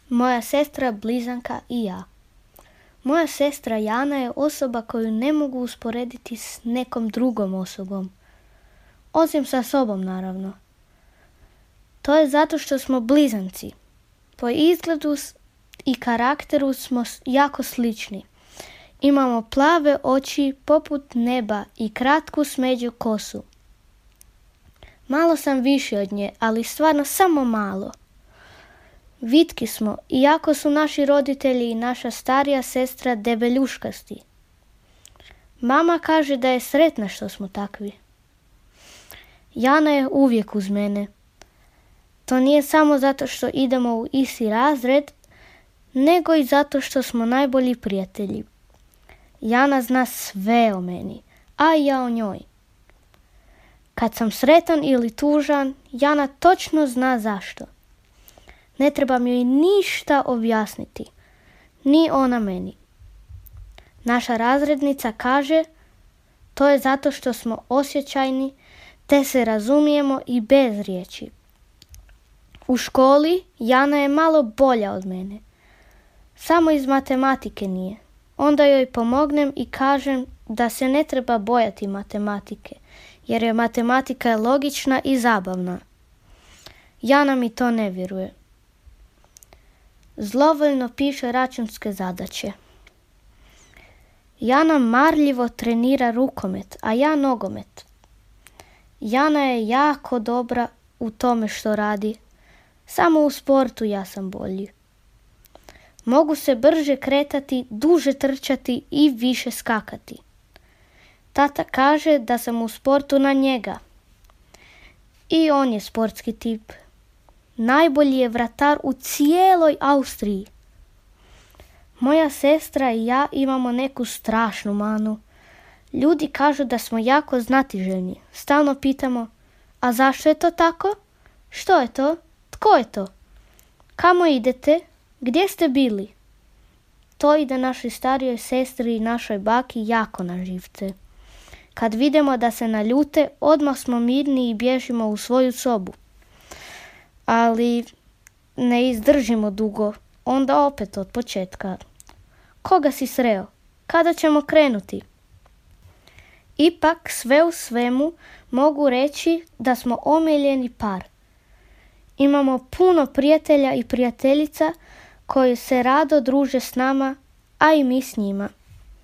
Moja sestra, blizanka i ja. Moja sestra Jana je osoba koju ne mogu usporediti s nekom drugom osobom. Osim sa sobom, naravno. To je zato što smo blizanci. Po izgledu i karakteru smo jako slični. Imamo plave oči poput neba i kratku smeđu kosu. Malo sam viši od nje, ali stvarno samo malo. Vitki smo, iako su naši roditelji i naša starija sestra debeljuškasti. Mama kaže da je sretna što smo takvi. Jana je uvijek uz mene. To nije samo zato što idemo u isti razred, nego i zato što smo najbolji prijatelji. Jana zna sve o meni, a i ja o njoj. Kad sam sretan ili tužan, Jana točno zna zašto. Ne trebam joj ništa objasniti, ni ona meni. Naša razrednica kaže, to je zato što smo osjećajni, te se razumijemo i bez riječi. U školi Jana je malo bolja od mene. Samo iz matematike nije. Onda joj pomognem i kažem da se ne treba bojati matematike, jer je matematika logična i zabavna. Jana mi to ne vjeruje. Zlovoljno piše računske zadaće. Jana marljivo trenira rukomet, a ja nogomet. Jana je jako dobra u tome što radi. Samo u sportu ja sam bolji. Mogu se brže kretati, duže trčati i više skakati. Tata kaže da sam u sportu na njega. I on je sportski tip. Najbolji je vratar u cijeloj Austriji. Moja sestra i ja imamo neku strašnu manu. Ljudi kažu da smo jako znatiželjni. Stalno pitamo, a zašto je to tako? Što je to? Tko je to? Kamo idete? Gdje ste bili? To ide našoj starijoj sestri i našoj baki jako na živce. Kad vidimo da se naljute, odmah smo mirni i bježimo u svoju sobu. Ali ne izdržimo dugo, onda opet od početka. Koga si sreo? Kada ćemo krenuti? Ipak sve u svemu mogu reći da smo omiljeni par. Imamo puno prijatelja i prijateljica koji se rado druže s nama, a i mi s njima.